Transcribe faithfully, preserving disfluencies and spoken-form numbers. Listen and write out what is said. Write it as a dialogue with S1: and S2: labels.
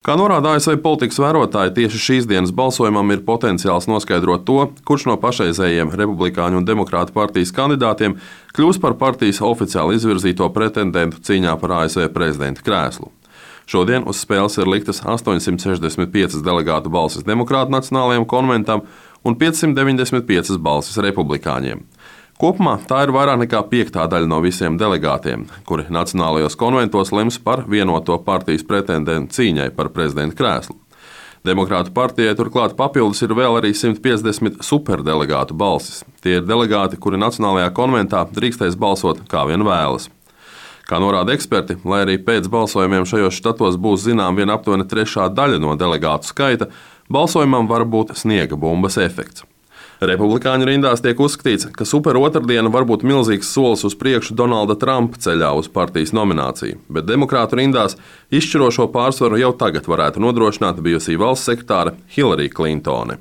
S1: Kā norāda A S V politikas vērotāji, tieši šīs dienas balsojumam ir potenciāls noskaidrot to, kurš no pašreizējiem republikāņu un demokrātu partijas kandidātiem kļūs par partijas oficiāli izvirzīto pretendentu cīņā par A S V prezidenta krēslu. Šodien uz spēles ir liktas astoņsimt sešdesmit piecas delegātu balsis demokrātu nacionālajiem konventam un piecsimt deviņdesmit piecas balsis republikāņiem. Kopumā tā ir vairāk nekā piektā daļa no visiem delegātiem, kuri nacionālajos konventos lems par vienoto partijas pretendentu cīņai par prezidenta krēslu. Demokrātu partijai turklāt papildus ir vēl arī simt piecdesmit superdelegātu balsis. Tie ir delegāti, kuri nacionālajā konventā drīkstēs balsot kā vien vēlas. Kā norāda eksperti, lai arī pēc balsojumiem šajos štatos būs zinām vien aptuveni trešā daļa no delegātu skaita, balsojumam var būt sniega bumbas efekts. Republikāņu rindās tiek uzskatīts, ka super otrdiena var būt milzīgs solis uz priekšu Donalda Trumpa ceļā uz partijas nomināciju, bet demokrātu rindās izšķirošo pārsvaru jau tagad varētu nodrošināt bijusī valsts sekretāre Hillary Clintone.